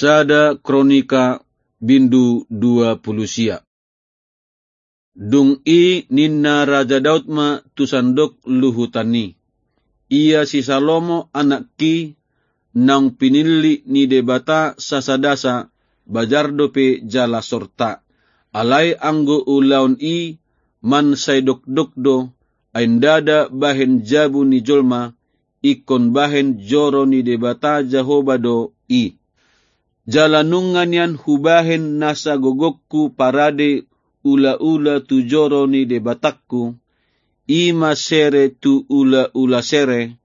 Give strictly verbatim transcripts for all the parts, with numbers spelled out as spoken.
Sada Kronika bindu dua pulu sia. Dung i ninna Raja Daud ma tu sandok luhutan i: Ia si Salomo anakki, naung pinillit ni Debata sasadasa, bajar dope jala sorta. Alai anggo ulaon i mansai dokdok do, ai ndada bahen jabu ni jolma, ingkon bahen joro ni Debata Jahowa do i. Jala nunga nian hubahen nasa gogongku parade ulaula tu joro ni Debatangku, i ma sere tu ulaula sere,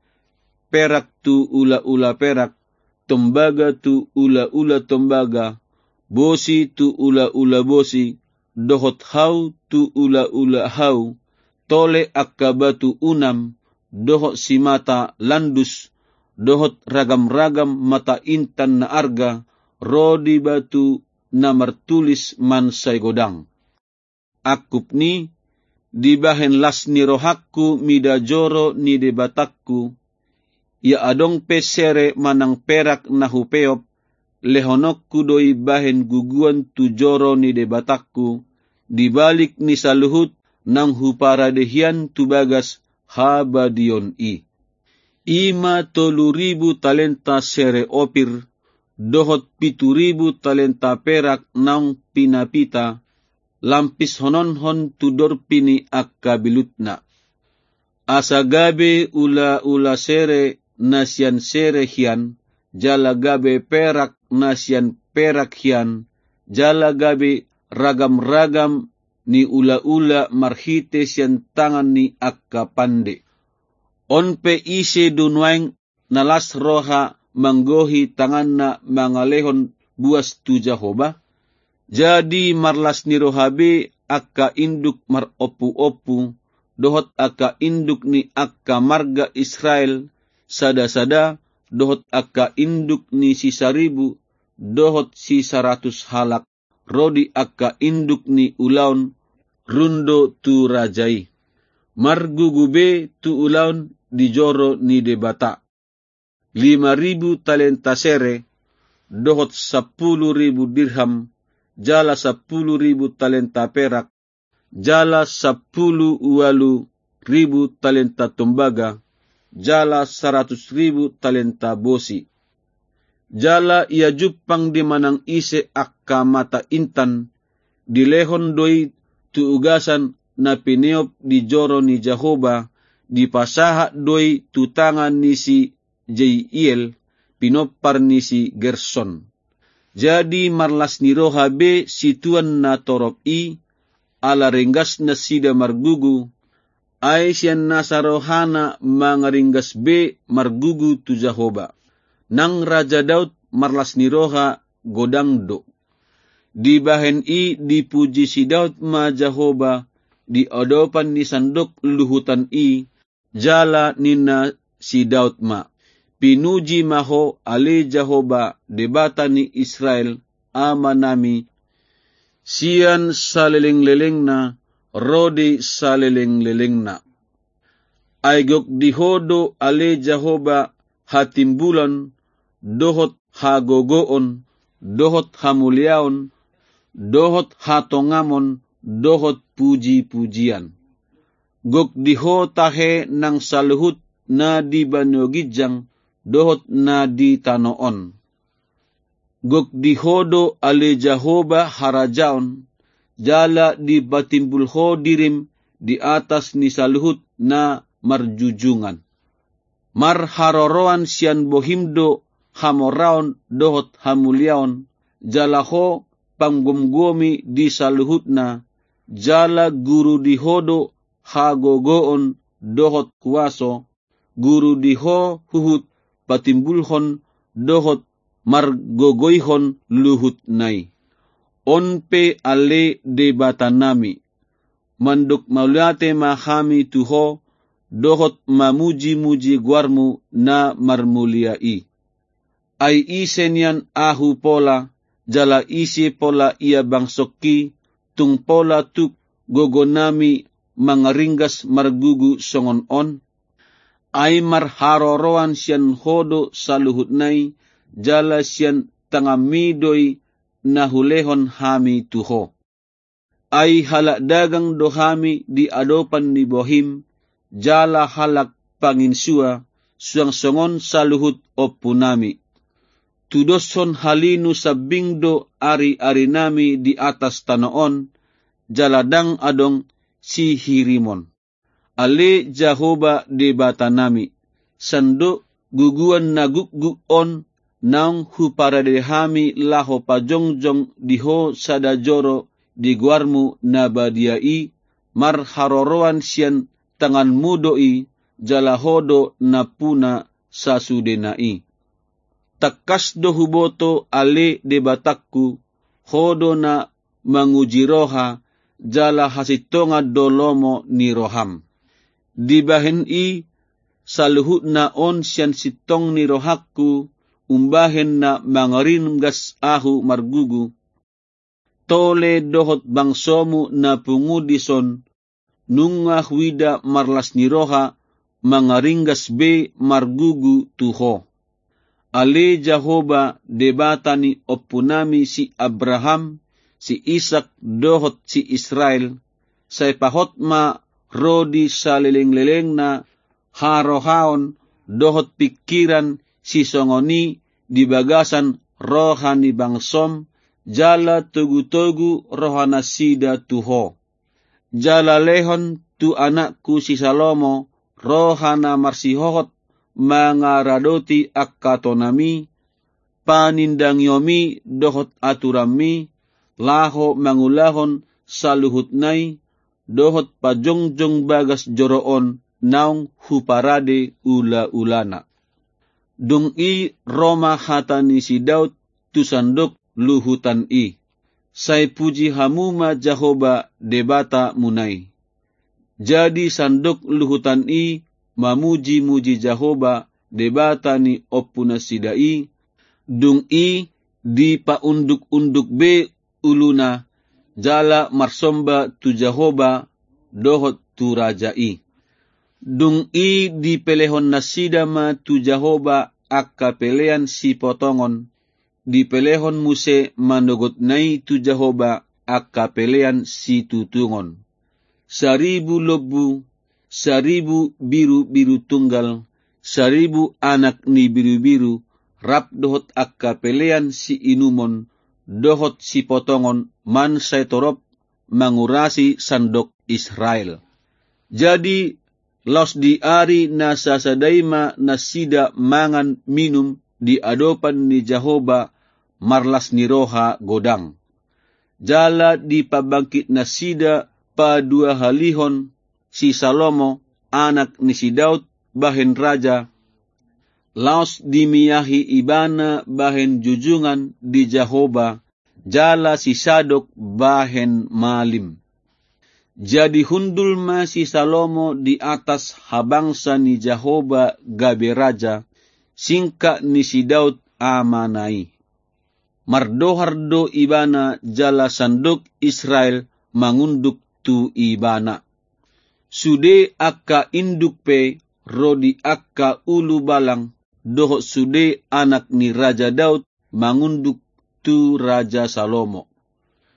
perak tu ulaula perak, tombaga tu ulaula tombaga, bosi tu ulaula bosi, dohot hau tu ulaula hau, tole angka batu unam, dohot simata landus, dohot ragamragam mata intan na arga, ro di batu na martulis mansai godang. Angkup ni, dibahen las ni rohangku mida joro ni Debatangku, ia adong pe sere manang perak na hupeop, lehononku do i bahen guguan tu joro ni Debatangku, di balik ni saluhut naung huparade hian tu bagas habadiaon i. I ma tolu ribu talenta sere Opir, dohot pitu ribu talenta perak naung pinapita, lampishononhon tu dorpi ni angka bilutna. Asa gabe ulaula sere na sian sere hian, jala gabe perak na sian perak hian, jala gabe ragamragam ni ulaula marhite sian tangan ni angka pande. On pe ise do nuaeng na las roha manggohi tanganna mangalehon buas tu Jahowa? Jadi marlas ni roha be angka induk marompuompu, dohot angka induk ni angka marga Israel sadasada, dohot angka induk ni sisaribu, dohot sisaratus halak, ro di angka induk ni ulaon rundo tu raja i. Margugu be tu ulaon di joro ni Debata. Lima ribu talenta sere, dohot sampulu ribu dirham, jala sampulu ribu talenta perak, jala sampulu ualu ribu talenta tombaga, jala saratus ribu talenta bosi. Jala ia jumpang di manang ise angka mata intan, dilehon do i tu ugasan na pineop di joro ni Jahowa, dipasahat do i tu tangan ni si Jeiel, pinompar ni si Gerson. Jadi marlas ni roha be situan na torop i, ala ringgas nasida margugu, ai sian nasa rohana mangaringgas be margugu tu Jahowa. Nang Raja Daud marlas ni roha godang do. Dibahen i dipuji si Daud ma Jahowa di adopan ni sandok luhutan i, jala ninna si Daud ma: Pinuji ma Ho ale Jahowa, Debata ni Israel, amanami, sian salelenglelengna ro di salelenglelengna. Ai gok di Ho do ale Jahowa hatimbulon, dohot hagogoon, dohot hamuliaon, dohot hatongamon, dohot pujipujian. Gok di Ho tahe nang saluhut na di banua ginjang, dohot na di tano on. Gok di Ho do ale Jahowa harajaon, jala dipatimbul Ho dirim di atas ni saluhut na marjujungan. Marharoroan sian bohim do hamoraon dohot hamuliaon, jala Ho panggomgomi di saluhutna, jala guru di Ho do hagogoon dohot huaso, guru di Ho huhut patimbulhon dohot margogoihon luhutna i. On pe ale Debatanami, mandok mauliate ma hami tu Ho, dohot mamujimuji goarmu na marmulia i. Ai ise nian ahu pola, jala ise pola ia bangsongki, tung pola tuk gogonami mangaringgas margugu songon on? Ai marharoroan sian Ho do saluhutna i, jala sian tanganmi do i na hulehon hami tu ho. Ai halak dagang do hami di adopan ni bohim, jala halak panginsua, suang songon saluhut ompunami. Tudoshon halinu sambing do ariarinami di atas tano on, jala ndang adong sihirimon. Ale Jahowa Debatanami, sandok guguan na gukguk on naung huparade hami laho pajongjong di ho sada joro di goarmu na badia i, marharoroan sian tanganmu do i, jala ho do nampuna sasudena i. Tangkas do huboto ale Debatangku, ho do na manguji roha, jala hasintongan do lomo ni roham. Dibahen i saluhutna on sian sintong ni rohangku, umbahen na mangaringgas ahu margugu. Tole dohot bangsomu na pungu dison, nunga huida marlas ni roha mangaringgas be margugu tu ho. Ale Jahowa Debata ni ompunami si Abraham, si Isak dohot si Israel, sai pahot ma ro di salelenglelengna harohaon dohot pingkiran sisongon i di bagasan roha ni bangsom, jala togutogu rohanasida tu ho. Jala lehon tu anakku si Salomo roha na marsihohot mangaradoti angka tonami, panindangiomi dohot aturanmi, laho mangulahon saluhutna i, dohot pajongjong bagas joro on naung huparade ulaulana. Dung i ro ma hata ni si Daud tu sandok luhutan i. Sai puji hamu ma Jahowa Debatamuna i. Jadi sandok luhutan i mamujimuji Jahowa Debata ni ompunasida i, dung i dipaundukunduk be uluna, jala marsomba tu Jahowa dohot tu raja i. Dung i dipelehonnasida ma tu Jahowa angka pelean sipotongon, dipelehon muse manogotna i tu Jahowa angka pelean situtungon. Saribu lombu, saribu birubiru tunggal, saribu anak ni birubiru, rap dohot angka pelean siinumon, dohot sipotongon mansai torop mangurasi sandok Israel. Jadi laos di ari na sasada i ma nasida mangan minum di adopan ni Jahowa marlas ni roha godang. Jala dipabangkitnasida paduahalihon si Salomo, anak ni si Daud, bahen raja, laos dimiahi ibana bahen jujungan di Jahowa, jala si Sadok bahen malim. Jadi hundul ma si Salomo di atas habangsa ni Jahowa gabe raja, singkat ni si Daud amana i. Mardohar do ibana jala sandok Israel mangunduk tu ibana. Sude angka induk pe ro di angka ulubalang dohot sude anak ni Raja Daud mangunduk tu Raja Salomo.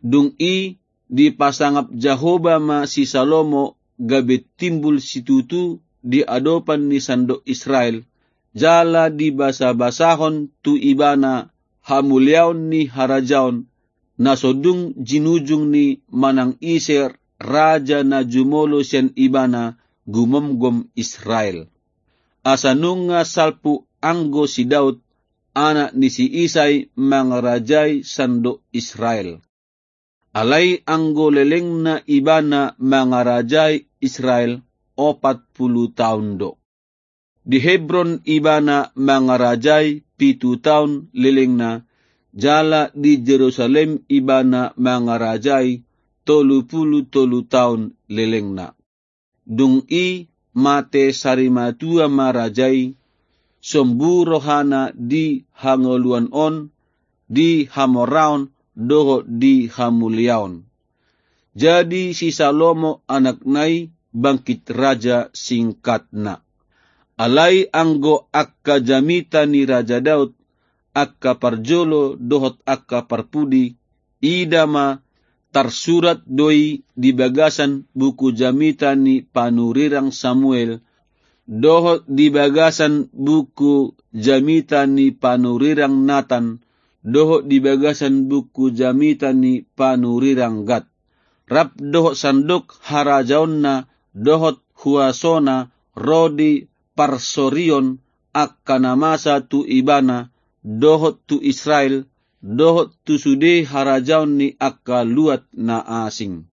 Dung i dipasangap Jahowa ma si Salomo gabe timbul situtu di adopan ni sandok Israel, jala dibasabasahon tu ibana hamuliaon ni harajaon, na so dung jinujung ni manang ise raja na jumolo sian ibana gumomgom Israel. Asa nunga salpu anggo si Daud, anak ni si Isai, mangarajai sandok Israel. Alai anggo lelengna ibana mangarajai Israel opat pulu taon do. Di Hebron ibana mangarajai pitu taon lelengna, jala di Jerusalem ibana mangarajai tolu pulu tolu taon lelengna. Dung i mate sarimatua ma raja i, sombu rohana di hangoluan on, di hamoraon dohot di hamuliaon. Jadi si Salomo anakna i bangkit raja singkatna. Alai anggo angka jamita ni Raja Daud, angka parjolo dohot angka parpudi, ida ma, tarsurat do i di bagasan buku jamita ni panurirang Samuel, dohot di bagasan buku jamita ni panurirang Natan, dohot di bagasan buku jamita ni panurirang Gad. Rap dohot sandok harajaonna dohot huasona ro di parsorion angka na masa tu ibana, dohot tu Israel, dohot tu sude harajaon ni angka luat na asing.